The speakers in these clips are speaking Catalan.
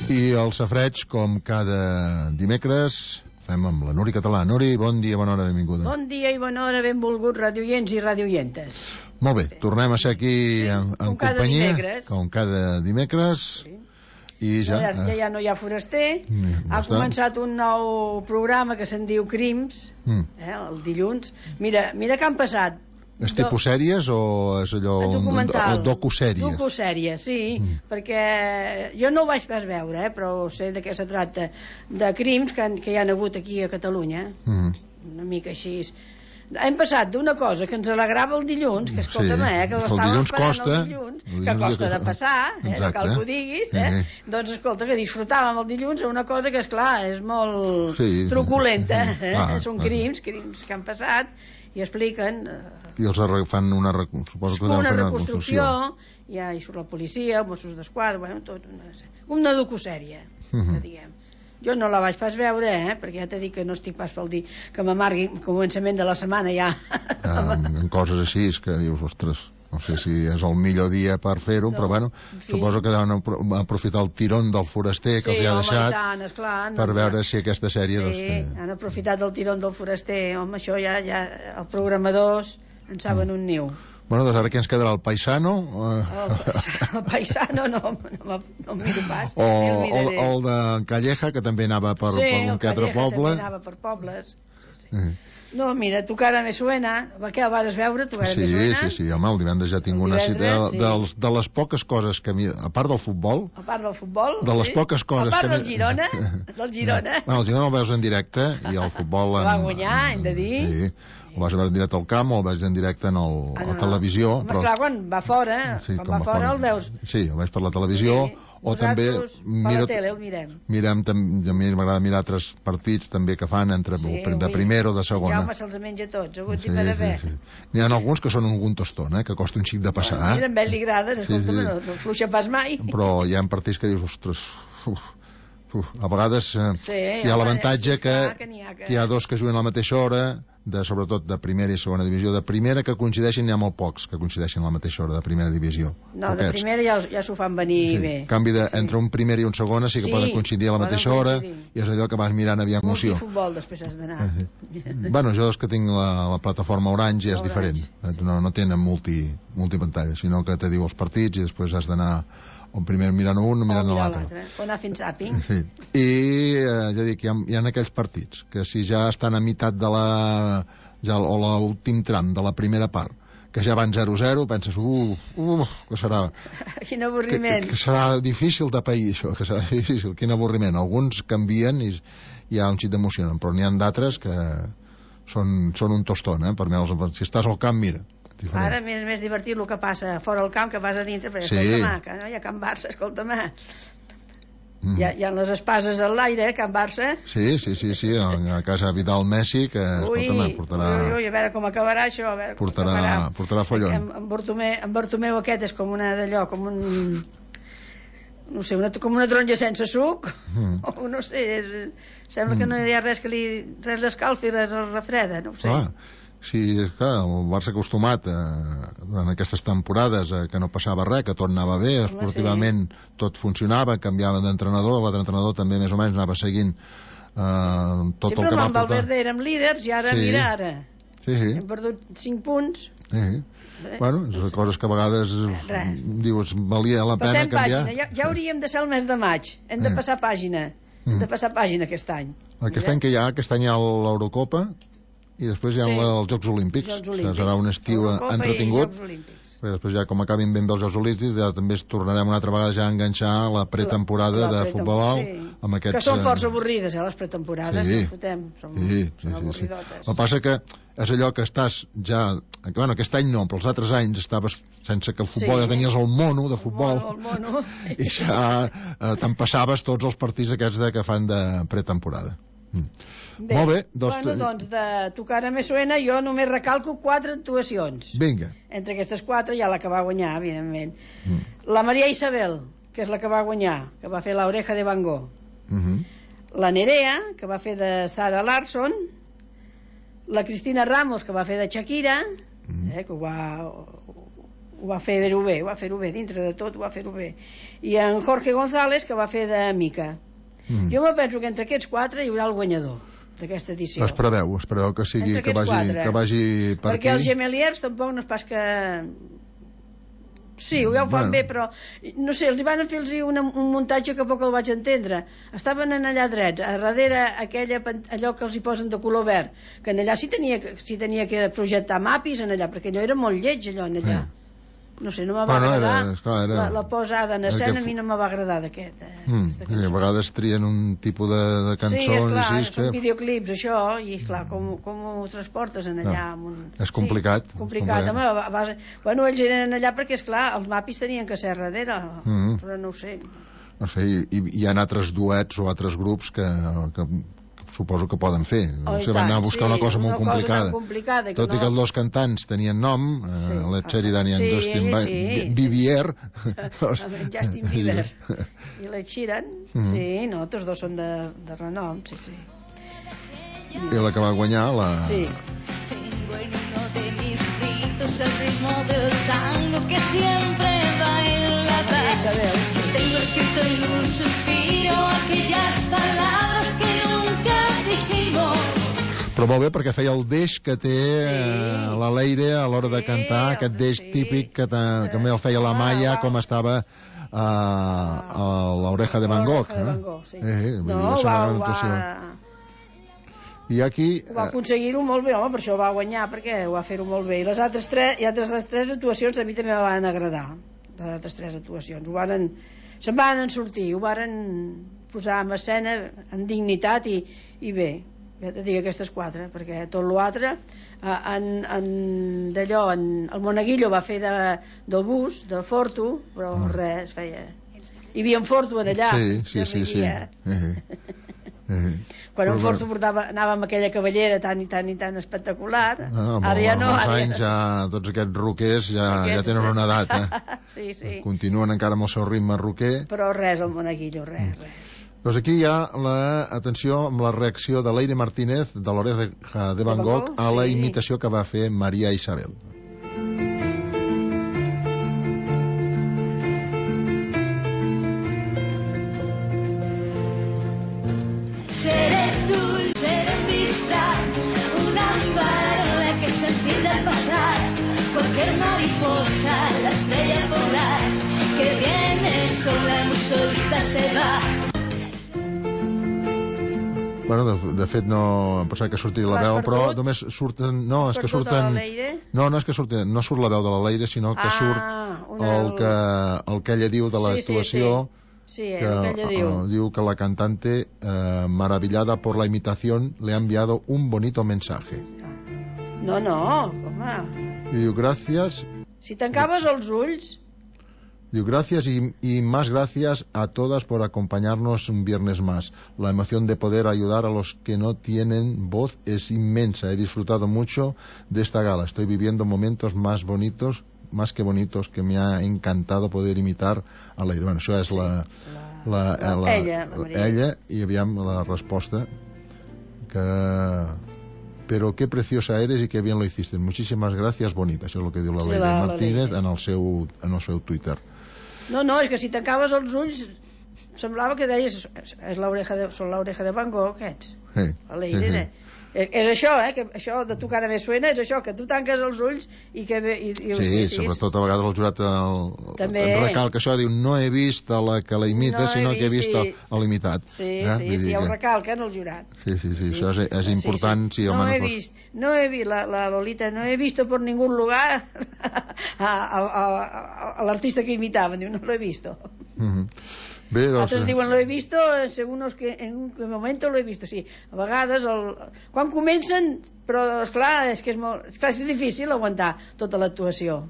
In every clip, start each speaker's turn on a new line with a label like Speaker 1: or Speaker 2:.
Speaker 1: I el safreig, com cada dimecres, fem amb la Nuri Català. Nuri, bon dia, bona hora, benvinguda.
Speaker 2: Bon dia i bona hora, benvolguts radioients i radioientes.
Speaker 1: Molt bé, tornem a ser aquí en companyia, com cada dimecres.
Speaker 2: Sí.
Speaker 1: I ja
Speaker 2: no hi ha foraster. Ha començat un nou programa que se'n diu Crims, el dilluns. Mira que han passat.
Speaker 1: És tipus sèries o és allò...
Speaker 2: documental.
Speaker 1: Docusèries?
Speaker 2: Docusèries, sí, perquè jo no ho vaig pas veure, però sé de què se tracta, de crims que hi ha hagut aquí a Catalunya, una mica així. Hem passat d'una cosa que ens alegrava el dilluns, que escolta'm, que l'estàvem esperant el dilluns, que costa de passar, no cal que ho diguis, doncs escolta, que disfrutàvem el dilluns a una cosa que, esclar, és molt truculenta, són crims que han passat, i expliquen...
Speaker 1: I els fan una reconstrucció.
Speaker 2: Ja hi surt la policia, els Mossos d'Esquadra, tot una docusèrie, que diguem. Jo no la vaig pas veure, perquè ja t'he dit que no estic pas pel dir que m'amargui el començament de la setmana ja.
Speaker 1: En coses així, és que dius, ostres, no sé si és el millor dia per fer-ho, però bueno, suposo que deuen aprofitar el tirón del foraster que els ha deixat per veure si aquesta sèrie...
Speaker 2: Sí, han aprofitat el tirón del foraster, home, això ja els programadors en saben un niu.
Speaker 1: Bueno, doncs ara què ens quedarà, el paisano?
Speaker 2: El paisano no miro pas.
Speaker 1: O el de Calleja, que també anava per un que altre poble.
Speaker 2: Sí, el Calleja també anava per pobles. No, mira, Tu cara me suena, què el vas veure, Tu cara me suena?
Speaker 1: Sí, home, el divendres ja tinc una cita de les poques coses que a part del futbol, de les poques coses
Speaker 2: a part del Girona, el Girona
Speaker 1: el veus en directe i el futbol
Speaker 2: va guanyar, hem de dir.
Speaker 1: Sí, el vas veure en directe al camp o el veus en directe a la televisió.
Speaker 2: Home, clar, quan va fora, el veus.
Speaker 1: Sí, el veus per la televisió. O també
Speaker 2: per la tele el mirem.
Speaker 1: A mi m'agrada mirar altres partits també que fan de primera o de segona.
Speaker 2: Jaume se'ls menja tots, agut i per haver.
Speaker 1: N'hi ha alguns que són un tostón, que costa un xic de passar.
Speaker 2: Mira, a ell li agraden, escolta'm, no fluixa pas mai.
Speaker 1: Però hi ha partits que dius, ostres, a vegades hi ha l'avantatge que hi ha dos que juguen a la mateixa hora, sobretot de primera i segona divisió. De primera que coincideixin n'hi ha molt pocs que coincideixin a la mateixa hora de primera divisió.
Speaker 2: No, de primera ja s'ho fan venir bé.
Speaker 1: En canvi, entre un primer i un segona sí que poden coincidir a la mateixa hora i és allò que vas mirant aviam emoció.
Speaker 2: Multifutbol després has d'anar.
Speaker 1: Bueno, jo és que tinc la plataforma Orange i és diferent. No tenen multipantalla, sinó que te diu els partits i després has d'anar primer mirant un o mirant l'altre.
Speaker 2: O anar fins àping.
Speaker 1: I ja dic, hi ha aquells partits que si ja estan a meitat de o l'últim tram de la primera part, que ja van 0-0, penses, que serà...
Speaker 2: Quin avorriment.
Speaker 1: Que serà difícil de pair, això, que serà difícil, quin avorriment. Alguns canvien i hi ha un xic d'emocionant, però n'hi ha d'altres que són un tostón, per mi, si estàs al camp, mira.
Speaker 2: Ara és més divertit el que passa fora al camp que vas a dintre, perquè escolta'm, que no hi ha Can Barça, escolta'm. Hi ha les espases al l'aire, Can Barça.
Speaker 1: Sí, a casa Vidal Messi, que portarà...
Speaker 2: Ui, a veure com acabarà això, a veure com
Speaker 1: portarà follon.
Speaker 2: En Bartomeu aquest és com una d'allò, com un... no sé, com una taronja sense suc, o no sé, sembla que no hi ha res l'escalfi, res el refreda, no ho sé.
Speaker 1: Sí, és clar, el Barça acostumat durant aquestes temporades que no passava res, que tot anava bé, esportivament tot funcionava, canviava d'entrenador, l'altre entrenador també més o menys anava seguint tot el que va portar.
Speaker 2: Sempre amb Valverde érem líders i ara, mira ara, hem perdut 5 punts.
Speaker 1: Bueno, són coses que a vegades dius, valia la pena canviar.
Speaker 2: Ja hauríem de ser el mes de maig, hem de passar pàgina, aquest any.
Speaker 1: Aquest any hi ha l'Eurocopa i després hi ha els Jocs Olímpics. Serà un estiu entretingut, perquè després ja com acabin ben bé els Jocs Olímpics ja també ens tornarem una altra vegada ja a enganxar la pretemporada de futbol
Speaker 2: que són força avorrides, les pretemporades.
Speaker 1: Sí. El que passa que és allò que estàs ja... Bueno, aquest any no, però els altres anys estaves sense que el futbol, ja tenies el mono de futbol i ja te'n passaves tots els partits aquests que fan de pretemporada.
Speaker 2: Bé,
Speaker 1: molt bé,
Speaker 2: doncs de Tu cara me suena jo només recalco 4 actuacions.
Speaker 1: Vinga.
Speaker 2: Entre aquestes 4 hi ha la que va guanyar, evidentment. La Maria Isabel, que és la que va guanyar, que va fer La oreja de Van Gogh. La Nerea, que va fer de Sarah Larsson. La Cristina Ramos, que va fer de Shakira, que ho ho va fer-ho bé, dintre de tot ho va fer-ho bé. I en Jorge González, que va fer de Mica. Jo me penso que entre aquests 4 hi haurà el guanyador d'aquesta edició.
Speaker 1: Es preveu que sigui, que vagi per
Speaker 2: perquè els Gemeliers tampoc no és pas que... Sí, ja ho fan bé, però no sé, els van fer un muntatge que poc el vaig entendre. Estaven en allà drets, a darrere allò que els hi posen de color verd, que en allà sí tenia que projectar mapis en allà, perquè allò era molt lleig, allò en allà. No sé, no me va agradar. La posada en escena a mi no me va agradar d'aquesta cançó.
Speaker 1: A vegades trien un tipus de cançons...
Speaker 2: Sí, esclar, són videoclips, això, i esclar, com ho transportes en allà?
Speaker 1: És complicat.
Speaker 2: Complicat, home. Bueno, ells eren allà perquè, esclar, els mapis tenien que ser darrere, però no ho sé.
Speaker 1: No sé, hi ha altres duets o altres grups que suposo que poden fer. No sé, van anar a buscar una cosa molt complicada. Tot i que els dos cantants tenien nom, la Sheridan i en Justin Bieber.
Speaker 2: Justin Bieber i la Sheeran, sí, no, tots dos són de renom, sí.
Speaker 1: I la que va guanyar, la...
Speaker 2: Sí.
Speaker 3: El ritmo del tango que siempre bailaba. Tengo escrito en un suspiro aquellas palabras que nunca dijimos.
Speaker 1: Però molt bé, perquè feia el deix que té la Leire a l'hora de cantar, aquest deix típic que també el feia la Maia, com estava a l'Oreja de Van Gogh. I aquí...
Speaker 2: Va aconseguir-ho molt bé, home, per això va guanyar, perquè ho va fer-ho molt bé. I les altres tres actuacions a mi també me van agradar, les altres 3 actuacions. Se'n van sortir, ho varen posar en escena amb dignitat i bé. Ja te dic aquestes 4, perquè tot l'altre, d'allò, el Monaguillo va fer del bus, de Fortu, però res, feia... Hi havia en Fortu en allà.
Speaker 1: Sí.
Speaker 2: Quan en Fortu anava amb aquella cavallera tan espectacular, ara ja no.
Speaker 1: Anys ja, tots aquests roquers ja tenen una edat,
Speaker 2: Sí.
Speaker 1: Continuen encara amb el seu ritme roquer.
Speaker 2: Però res, el Monaguillo, res.
Speaker 1: Doncs aquí hi ha atenció amb la reacció de Leire Martínez de l'Oreja de Van Gogh a la imitació que va fer Maria Isabel.
Speaker 3: Seré dulce de vista, una parola que sentí del pasar, cualquier mariposa, la estrella polar, que viene sola, muy solita se va.
Speaker 1: Bueno, de fet no em pensava que sortia la veu, però només surten... No, és que surten... No, és que surten... No surt la veu de la Leire, sinó que surt el que ella diu de l'actuació.
Speaker 2: Sí, el que ella diu.
Speaker 1: Diu que la cantante, maravillada por la imitación, le ha enviado un bonito mensaje.
Speaker 2: No, home.
Speaker 1: I diu, gracias...
Speaker 2: Si tancaves els ulls...
Speaker 1: Digo, gracias y más gracias a todas por acompañarnos un viernes más. La emoción de poder ayudar a los que no tienen voz es inmensa. He disfrutado mucho de esta gala. Estoy viviendo momentos más que bonitos, que me ha encantado poder imitar a Leire. Bueno, això és ella, i aviam la resposta que... Pero qué preciosa eres y qué bien lo hiciste. Muchísimas gracias, bonita. Això és el que diu la Leire Martínez en el seu Twitter.
Speaker 2: No, és que si tancaves els ulls semblava que deies són l'Oreja de Van Gogh, aquests. La Leire. És això, que això de tu cara me suena, és això, que tu tanques els ulls i que...
Speaker 1: Sí, sobretot a vegades el jurat recalca això, diu, no he vist la que la imita, sinó que he vist l'imitat.
Speaker 2: Sí, ja ho recalquen el jurat.
Speaker 1: Sí, això és important.
Speaker 2: No he vist, la Lolita, no he visto por ningún lugar a l'artista que imitaven, diu, no lo he visto.
Speaker 1: Bé, doncs...
Speaker 2: Altres diuen, lo he visto en un moment lo he visto, sí. A vegades, quan comencen, però esclar, és difícil aguantar tota l'actuació.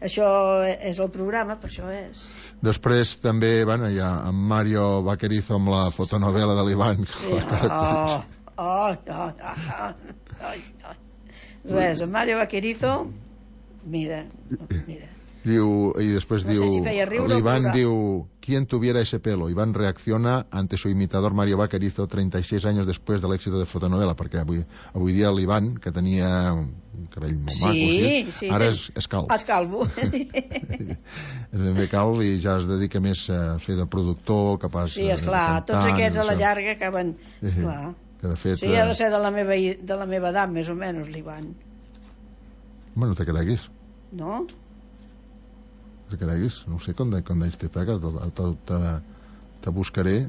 Speaker 2: Això és el programa, per això és...
Speaker 1: Després també, hi ha en Mario Vaquerizo amb la fotonovela de l'Ivan.
Speaker 2: Res, en Mario Vaquerizo, mira.
Speaker 1: Y después
Speaker 2: no sé si feia riure
Speaker 1: Iván diu, ¿quién tuviera ese pelo? Iván reacciona ante su imitador Mario Vaquerizo 36 años después del éxito de Fotonovela, perquè avui dia l'Ivan, que tenia un cabell molt maco, ara és calb.
Speaker 2: És calvo.
Speaker 1: És ben bé calb i ja es dedica més a fer de productor, capaç
Speaker 2: sí, esclar, tots aquests a la llarga acaben... Esclar.
Speaker 1: Que de fet,
Speaker 2: sí, ha de ser de la meva edat, més o menys, l'Ivan.
Speaker 1: Home, no te creguis.
Speaker 2: No?
Speaker 1: No te creguis. No sé com d'ells té, perquè te buscaré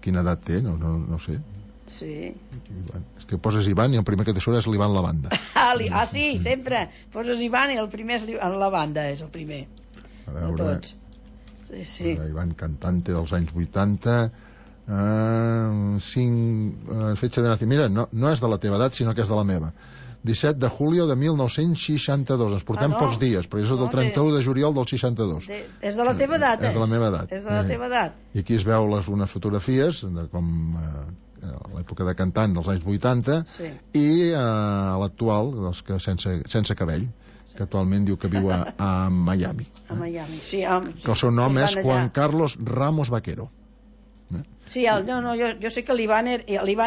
Speaker 1: quina edat té, no sé.
Speaker 2: Sí.
Speaker 1: Ivan. És que poses Ivan i el primer que te surt és l'Ivan Lavanda.
Speaker 2: Sí, sempre. Poses Ivan i el primer és Lavanda, és el primer.
Speaker 1: A veure...
Speaker 2: Tots. Sí.
Speaker 1: Ivan cantante dels anys 80... fecha de nacimiento, mira, no és de la teva edat sinó que és de la meva, 17 de julio de 1962, ens portem pocs dies, però és del 31 de juliol del 62.
Speaker 2: És de la teva edat,
Speaker 1: és de la meva edat.
Speaker 2: És de la teva edat.
Speaker 1: I aquí es veu unes fotografies de com l'època de cantant dels anys 80 i l'actual, dels que sense cabell, que actualment diu que viu a Miami.
Speaker 2: A Miami, sí.
Speaker 1: Que el seu nom és Juan Carlos Ramos Vaquero.
Speaker 2: Sí, jo sé que l'Ivan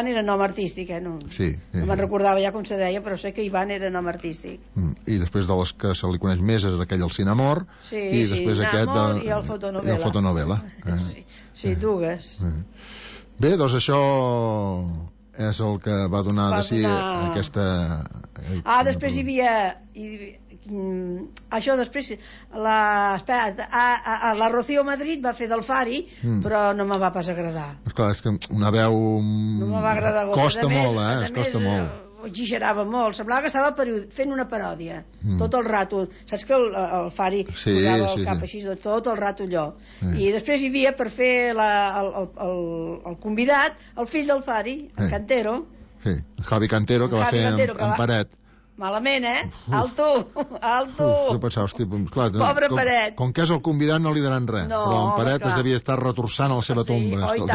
Speaker 2: era nom artístic, no me'n recordava ja com se deia, però sé que Ivan era nom artístic.
Speaker 1: I després de les que se li coneix més és aquell el Cinamor, i després aquest
Speaker 2: i el Fotonovela. Sí, dues.
Speaker 1: Bé, doncs això és el que va donar de si aquesta...
Speaker 2: després hi havia... això després la Rocío Madrid va fer del Fari, però no me va pas agradar.
Speaker 1: Esclar, és que una veu
Speaker 2: no me va agradar.
Speaker 1: Costa molt, costa molt.
Speaker 2: Exagerava molt, semblava que estava fent una paròdia tot el rato, saps que el Fari posava el cap així tot el rato allò, i després hi havia per fer el convidat, el fill del Fari, el Cantero,
Speaker 1: Javi Cantero, que va fer en Paret.
Speaker 2: Malament, Alto!
Speaker 1: Jo pensava, hosti, clar,
Speaker 2: pobre Paret.
Speaker 1: Com que és el convidat no li daran res, però en Paret es devia estar retorçant a la seva tomba.
Speaker 2: Oh, i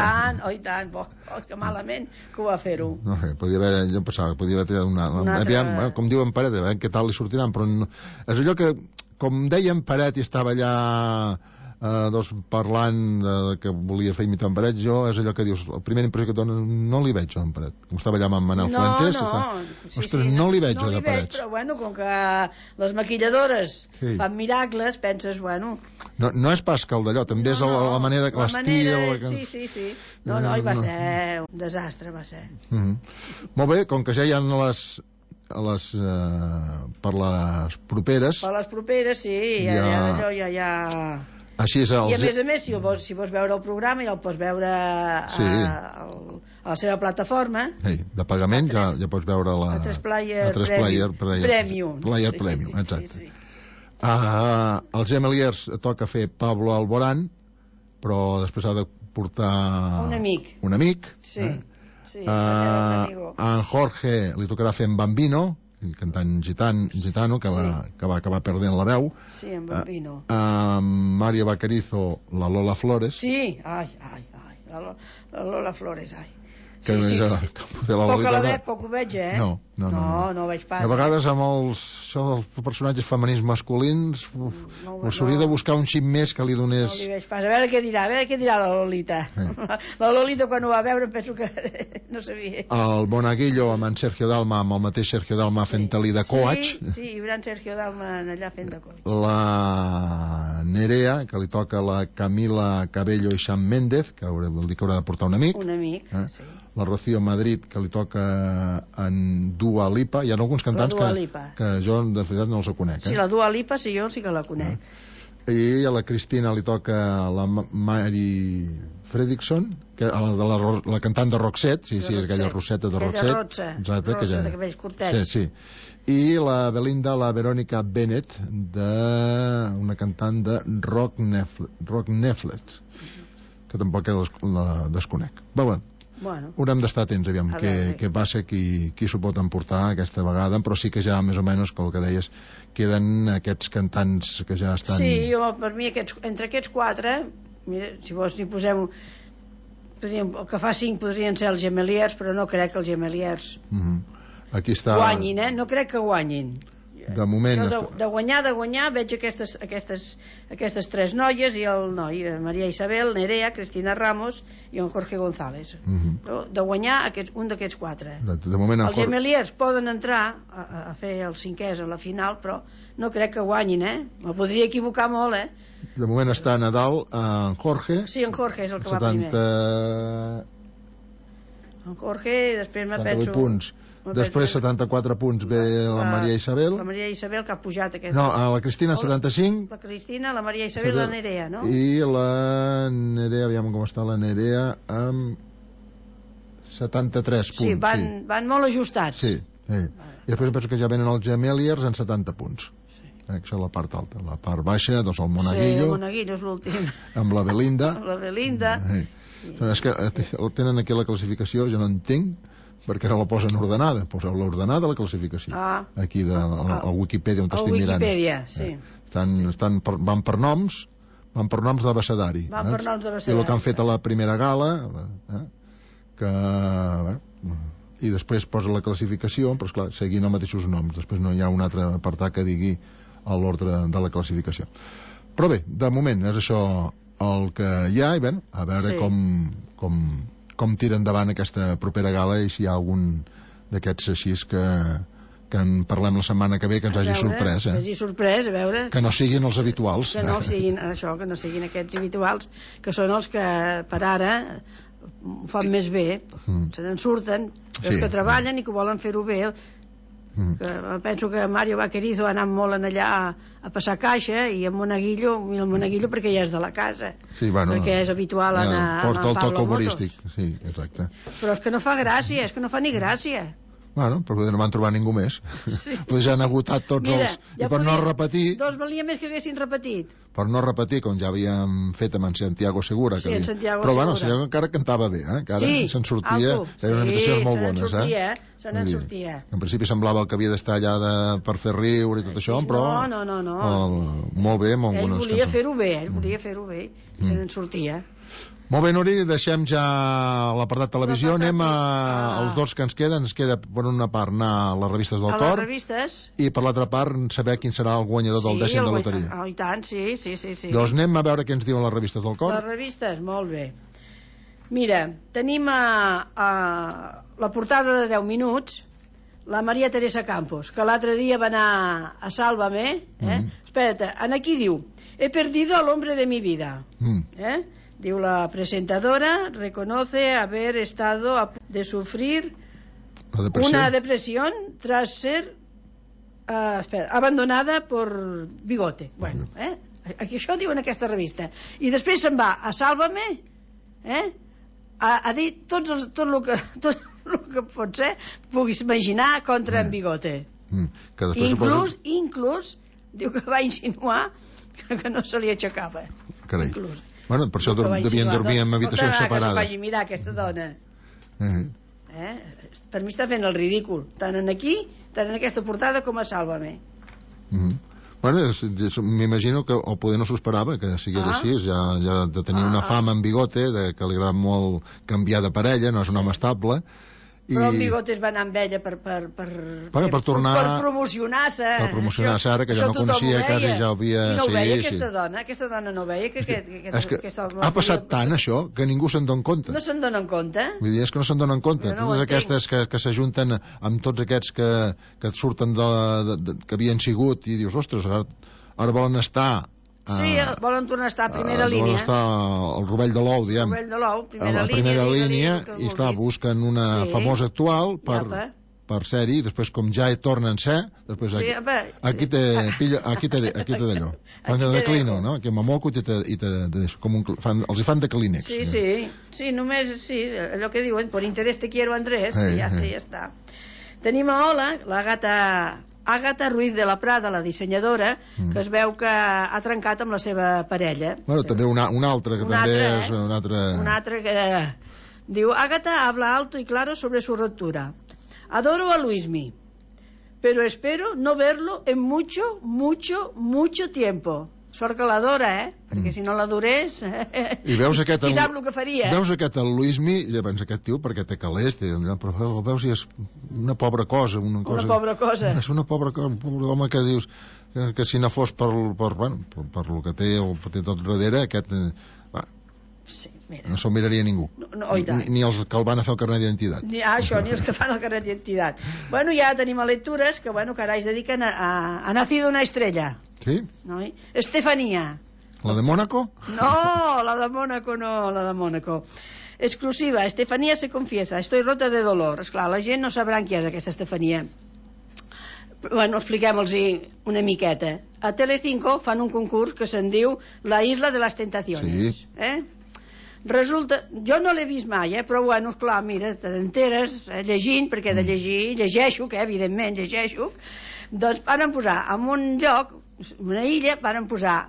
Speaker 2: tant, que malament que ho va fer-ho.
Speaker 1: No sé, jo pensava que podia haver tirat una... Com diu en Paret, què tal li sortiran, però és allò que, com deia en Paret i estava allà parlant que volia fer imitar en Paret, jo és allò que dius, la primera impressió que et dona, no li veig en Paret, com estava allà amb en Manel Fuentes, ostres, no li veig de Paret,
Speaker 2: però bueno, com que les maquilladores fan miracles, penses, bueno,
Speaker 1: no és pas que el d'allò, també és la manera que l'estil,
Speaker 2: sí, no, i va ser un desastre, va ser.
Speaker 1: Molt bé, com que ja hi ha per les properes,
Speaker 2: sí, ja
Speaker 1: així és
Speaker 2: i a més, si vols veure el programa ja el pots veure a la seva plataforma
Speaker 1: de pagament, ja pots veure a
Speaker 2: 3Player Premium,
Speaker 1: exacte. Als Gemeliers toca fer Pablo Alborán, però després ha de portar
Speaker 2: un amic,
Speaker 1: a en Jorge li tocarà fer en Bambino, el cantant gitano que va acabar perdent la veu.
Speaker 2: Sí, en Bambino.
Speaker 1: Mario Vaquerizo, la Lola Flores.
Speaker 2: Sí, la Lola Flores,
Speaker 1: que
Speaker 2: poc ho veig, no veig pas.
Speaker 1: A vegades amb això dels personatges femenins masculins s'hauria de buscar un xip més que li donés...
Speaker 2: No li veig pas, a veure què dirà la Lolita. La Lolita quan ho va veure penso que no sabia.
Speaker 1: El Monaguillo amb en Sergio Dalma, amb el mateix Sergio Dalma fent-li de coach.
Speaker 2: Sí, hi haurà en Sergio Dalma allà fent de coach.
Speaker 1: La Nerea, que li toca la Camila Cabello i Shawn Méndez, que vol dir que haurà de portar un amic.
Speaker 2: Sí.
Speaker 1: La Rocío Madrid, que li toca en Dua Lipa. Hi ha alguns cantants que jo de veritat no els conec.
Speaker 2: Sí, la Dua Lipa jo sí que la conec.
Speaker 1: I a la Cristina li toca la Mary Fredrickson, que la cantant de Roxette, aquella Roseta de Roxette.
Speaker 2: Rosa de cabells curtets.
Speaker 1: Sí. I la Belinda, la Verónica Bennett, una cantant de Rock Neflet, que tampoc la desconec.
Speaker 2: Bueno,
Speaker 1: haurem d'estar atents, aviam què passa, qui s'ho pot emportar aquesta vegada, però sí que ja més o menys, com el que deies, queden aquests cantants que ja estan...
Speaker 2: Sí, per mi entre aquests quatre, mira, si vols n'hi posem el que fa 5 podrien ser els Gemeliers, però no crec que els Gemeliers
Speaker 1: aquí està...
Speaker 2: guanyin, no crec que guanyin.
Speaker 1: De moment...
Speaker 2: De guanyar veig aquestes 3 noies i el noi, Maria Isabel, Nerea, Cristina Ramos i en Jorge González. De guanyar un d'aquests 4.
Speaker 1: De moment
Speaker 2: els gemeliers poden entrar a fer els 5ès a la final, però no crec que guanyin, Me podria equivocar molt,
Speaker 1: De moment està a Nadal en Jorge.
Speaker 2: Sí, en Jorge és el que va primer. En Jorge, i després me penso...
Speaker 1: 78 punts. Després 74 punts ve la Maria Isabel.
Speaker 2: La Maria Isabel, que ha pujat aquesta.
Speaker 1: No, la Cristina 75.
Speaker 2: La Cristina, la Maria Isabel i la Nerea, no?
Speaker 1: I la Nerea, aviam com està la Nerea, amb 73 punts.
Speaker 2: Sí, van molt ajustats.
Speaker 1: Sí. I després penso que ja venen els gemeliers en 70 punts. Això és la part alta. La part baixa, doncs el Monaguillo.
Speaker 2: Sí, el Monaguillo és l'últim.
Speaker 1: Amb la Belinda.
Speaker 2: Amb la Belinda.
Speaker 1: És que tenen aquí la classificació, jo no entenc perquè ara la posen ordenada. Poseu l'ordenada a la classificació. Aquí al Wikipedia on estic mirant.
Speaker 2: Al Wikipedia, sí.
Speaker 1: Van per noms d'abecedari.
Speaker 2: Van per noms d'abecedari.
Speaker 1: I el que han fet a la primera gala, i després posa la classificació, però esclar, seguint els mateixos noms. Després no hi ha un altre apartat que digui a l'ordre de la classificació. Però bé, de moment és això el que hi ha, i bé, a veure com tira endavant aquesta propera gala i si hi ha algun d'aquests així que en parlem la setmana que ve, que ens hagi sorprès.
Speaker 2: Que hagi sorprès, a veure...
Speaker 1: Que no siguin els habituals.
Speaker 2: Que no siguin aquests habituals, que són els que per ara ho fan més bé, se n'en surten, els que treballen i que volen fer-ho bé. Penso que Mario Vaquerizo ha anat molt allà a passar caixa, i el Monaguillo perquè ja és de la casa, perquè és habitual anar a
Speaker 1: porta el toc humorístic. Sí, exacte.
Speaker 2: Però és que no fa gràcia, és que no fa ni gràcia.
Speaker 1: Bueno, però no van trobar ningú més. Potser ja han agotat tots els... I per no repetir...
Speaker 2: Dos valia més que haguessin repetit.
Speaker 1: Per no repetir, com ja havíem fet amb en Santiago Segura.
Speaker 2: Sí, en Santiago Segura.
Speaker 1: Però bueno, Santiago encara cantava bé, que ara se'n sortia. Eren imitacions molt bones,
Speaker 2: se n'en sortia.
Speaker 1: En principi semblava que havia d'estar allà per fer riure i tot això, però...
Speaker 2: No.
Speaker 1: Molt bé, molt bones.
Speaker 2: Ell volia fer-ho bé, i se n'en sortia.
Speaker 1: Molt bé, Nuri, deixem ja l'apartat televisió, anem als dos que ens queda per una part anar a les revistes del Cor, i per l'altra part saber quin serà el guanyador del 10è de loteria.
Speaker 2: I tant, sí.
Speaker 1: Doncs anem a veure què ens diuen les revistes del Cor.
Speaker 2: Les revistes, molt bé. Mira, tenim la portada de 10 minuts, la Maria Teresa Campos, que l'altre dia va anar a Sálvame, espera't, aquí diu, he perdido al hombre de mi vida, Diu, la presentadora reconoce haber estado a punto de sufrir una depresión tras ser abandonada por Bigote. Bueno, aquí això diu en aquesta revista. I després se'n va a Sálvame, a dir tot el que pot ser, puguis imaginar, contra en Bigote. Inclús diu que va insinuar que no se li aixecava.
Speaker 1: Carai. Bueno, per això devien dormir en habitacions separades.
Speaker 2: Que vagi mirar aquesta dona. Per mi està fent el ridícul, tant en aquesta portada com a Sálvame.
Speaker 1: Bueno, m'imagino que o poder no s'ho esperava que sigués així, ja de tenir una fama en Bigote, que li agrada molt canviar de parella, no és un home estable.
Speaker 2: Però el Bigote es va anar amb ella per promocionar-se.
Speaker 1: Per promocionar-se, ara que ja no coneixia, quasi ja havia...
Speaker 2: I no ho veia aquesta dona no veia que
Speaker 1: ha passat tant això que ningú se'n dona compte.
Speaker 2: No se'n donen compte?
Speaker 1: Vull dir, és que no se'n donen compte. Totes aquestes que s'ajunten amb tots aquests que surten que havien sigut i dius, ostres, ara volen estar...
Speaker 2: Sí, volen tornar a estar a primera línia.
Speaker 1: Volen estar al rovell de l'ou, diguem. Primera línia, i clar, busquen una famosa actual per ser-hi, i després com ja tornen a ser, després aquí té d'allò. Fan de Clino, no? Que m'amoco i te deixo. Els hi fan de Kleenex.
Speaker 2: Sí, només, allò que diuen, por interés te quiero, Andrés, i ja està. Tenim a Ola, Àgata Ruiz de la Prada, la dissenyadora, que es veu que ha trencat amb la seva parella.
Speaker 1: Bueno, també una altra, que també és una altra...
Speaker 2: Una altra que... Diu, Àgata habla alto y claro sobre su ruptura. Adoro a Luismi, pero espero no verlo en mucho tiempo. Sort que l'adora, perquè si no l'adorés,
Speaker 1: I veus aquest,
Speaker 2: qui sap el que faria.
Speaker 1: Veus aquest el Luismi, i llavors aquest tio, perquè té calés, però el veus i és una pobra cosa. Una
Speaker 2: pobra cosa.
Speaker 1: És una pobra cosa, un pobre home que dius que si no fos per el que té o té tot darrere, aquest...
Speaker 2: Sí, mira.
Speaker 1: No se'l miraria ningú. Ni els que el van a fer el carnet d'identitat.
Speaker 2: Ni els que fan el carnet d'identitat. Bueno, ja tenim a lectures que, que ara es dediquen a Nacido una estrella.
Speaker 1: Sí?
Speaker 2: No? Estefanía.
Speaker 1: ¿La de Mónaco?
Speaker 2: No, la de Mónaco no, la de Mónaco. Exclusiva, Estefanía se confiesa, estoy rota de dolor. Esclar, la gent no sabran qui és aquesta Estefanía. Bueno, expliquem-los una miqueta. A Telecinco fan un concurs que se'n diu La Isla de las Tentaciones.
Speaker 1: Sí.
Speaker 2: Resulta, jo no l'he vist mai, però bueno, esclar, mira, t'enteres llegint, perquè de llegir, llegeixo, que evidentment llegeixo, doncs van posar en un lloc, una illa, van posar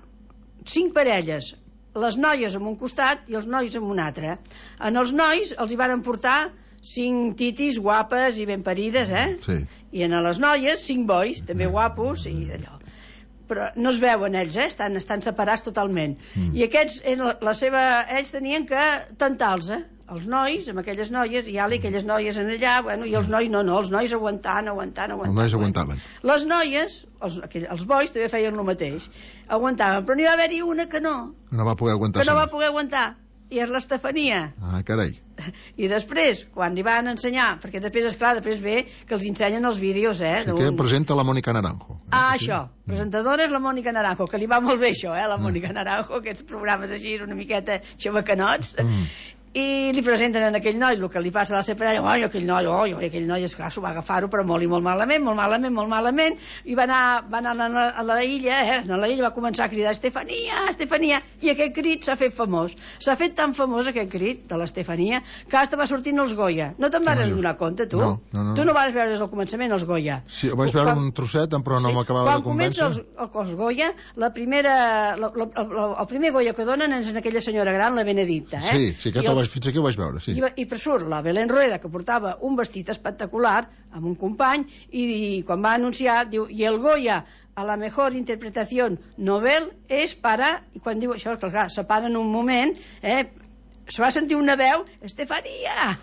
Speaker 2: 5 parelles, les noies en un costat i els nois en un altre. En els nois els hi van portar 5 titis guapes i ben parides,
Speaker 1: Sí.
Speaker 2: I en les noies 5 bois, també guapos i d'allò. Però no es veuen ells, estan separats totalment. I aquests, ells tenien que tentar-los, els nois amb aquelles noies, i aquelles noies en allà, bueno, i els nois no, els nois aguantant.
Speaker 1: Els nois aguantaven.
Speaker 2: Les noies, els bois també feien el mateix, aguantaven, però n'hi va haver-hi una que no.
Speaker 1: No va poder aguantar.
Speaker 2: Que no va poder aguantar, i és l'Estefania.
Speaker 1: Ah, carai.
Speaker 2: I després, quan li van ensenyar, perquè després ve que els ensenyen els vídeos,
Speaker 1: Sí, que presenta la Mònica Naranjo.
Speaker 2: Això, presentadora és la Mònica Naranjo, que li va molt bé això, la Mònica Naranjo, aquests programes així, una miqueta xavacanots, i li presenten a aquell noi el que li passa a la seva parella. Aquell noi, esclar, s'ho va agafar-ho, però molt i molt malament, i va anar a la illa, a la illa va començar a cridar Estefania, i aquest crit s'ha fet famós. S'ha fet tan famós aquest crit de l'Estefania que hasta va sortint els Goya. No te'n vas donar compte, tu?
Speaker 1: No.
Speaker 2: Tu no vas veure des del començament els Goya.
Speaker 1: Sí, vaig veure un trosset, però no m'acabava de convèncer.
Speaker 2: Quan comença els Goya, el primer Goya que donen és en aquella senyora gran, la Benedicta.
Speaker 1: Sí, fins aquí ho vaig veure, sí.
Speaker 2: I per surt la Belén Rueda, que portava un vestit espectacular amb un company, i quan va anunciar diu, i el Goya a la mejor interpretació novel és para, i quan diu això, clar, se para en un moment, se va sentir una veu, Estefania!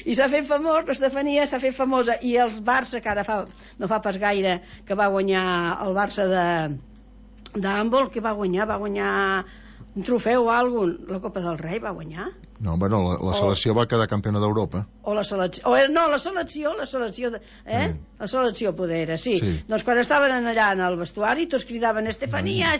Speaker 2: I s'ha fet famós, l'Estefania s'ha fet famosa, i els Barça, que ara no fa pas gaire que va guanyar el Barça d'handbol, que va guanyar un trofeu o alguna cosa, la Copa del Rei va guanyar?
Speaker 1: No, bueno, la selecció va quedar campiona d'Europa.
Speaker 2: La selecció poder era, sí. Doncs quan estaven allà en el vestuari tots cridaven Estefania,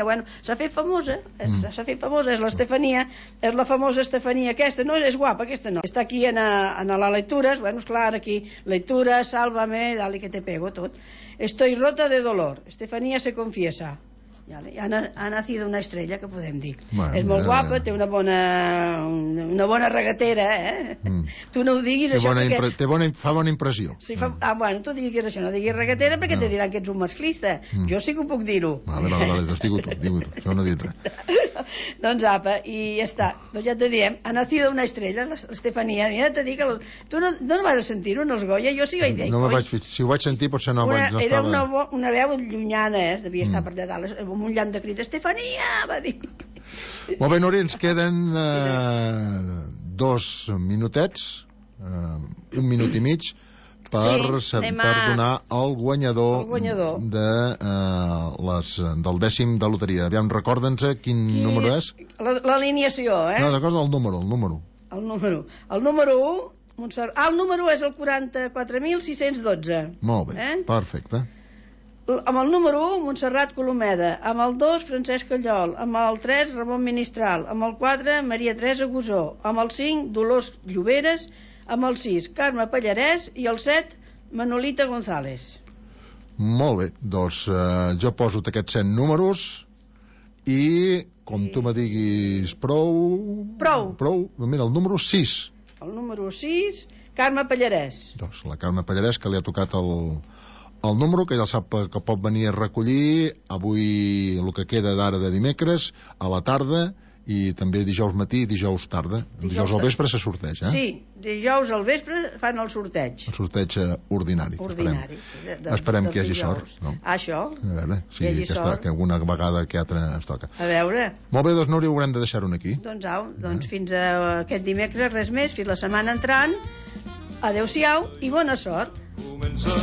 Speaker 2: bueno, s'ha fet famosa, és l'Estefania, és la famosa Estefania aquesta, no, és guapa aquesta no, està aquí en les lectures, bueno, esclar, aquí lectura, sálvame, dale que te pego, tot. Estoy rota de dolor, Estefania se confiesa. Ha nacido una estrella, que podem dir. Bueno, és molt guapa, té una bona regatera, Tu no ho diguis, això, perquè...
Speaker 1: Fa bona impressió.
Speaker 2: Sí, bueno, tu diguis això, no diguis regatera, perquè te diran que ets un masclista. Jo sí que ho puc dir-ho.
Speaker 1: Vale, doncs digue-ho tu, jo no he dit res.
Speaker 2: Doncs apa, i ja està. Doncs ja te diem, ha nacido una estrella, l'Estefania. Mira, te dic, tu no vas sentir-ho en els Goya? Jo sí vaig dir.
Speaker 1: Si ho vaig sentir, potser no estava...
Speaker 2: Era una veu llunyana, devia estar per allà dalt, amb un llamp de crit, Estefania, va dir.
Speaker 1: Molt bé, Núria, ens queden 2 minutets, 1 minut i mig, per donar el guanyador del 10è de loteria. Aviam, recorda'ns quin número és.
Speaker 2: L'alineació,
Speaker 1: No, recorda el número.
Speaker 2: El número 1, el número és el 44.612.
Speaker 1: Molt bé, perfecte.
Speaker 2: Amb el número 1, Montserrat Colomeda, amb el 2, Francesc Callol, amb el 3, Ramon Ministral, amb el 4, Maria Teresa Gusó, amb el 5, Dolors Lloberes, amb el 6, Carme Pallarès, i el 7, Manolita González.
Speaker 1: Molt bé, doncs jo poso aquests 100 números i, com tu me diguis, prou, mira, el número 6.
Speaker 2: El número 6, Carme Pallarès.
Speaker 1: Doncs la Carme Pallarès, que li ha tocat el número, que ja sap que pot venir a recollir avui el que queda d'ara de dimecres a la tarda, i també dijous matí i dijous tarda. Dijous al vespre se sorteig,
Speaker 2: Sí, dijous al vespre fan el sorteig.
Speaker 1: El sorteig ordinari. Esperem que hi hagi sort, no?
Speaker 2: Això.
Speaker 1: A veure, sí, que alguna vegada que altra ens toca.
Speaker 2: A veure.
Speaker 1: Molt bé, doncs Núria, haurem de deixar-ho aquí.
Speaker 2: Doncs fins a aquest dimecres, res més, fins la setmana entrant. Adéu-siau i bona sort. Comença,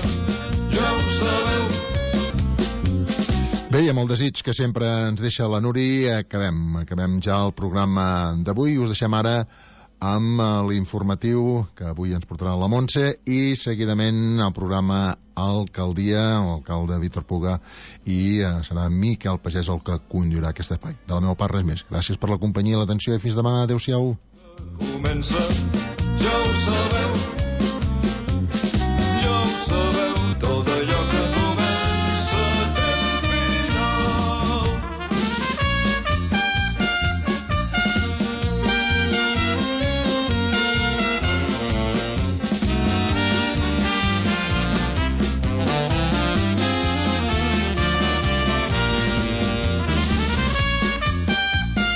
Speaker 2: ja ho sabeu.
Speaker 1: Bé, i amb el desig que sempre ens deixa la Nuri, acabem ja el programa d'avui. Us deixem ara amb l'informatiu que avui ens portarà la Montse i seguidament el programa Alcaldia, l'alcalde Víctor Puga, i serà Miquel Pagès el que conduirà aquest espai. De la meva part, res més. Gràcies per la companyia i l'atenció i fins demà. Adéu-siau. Comença, ja ho sabeu, tot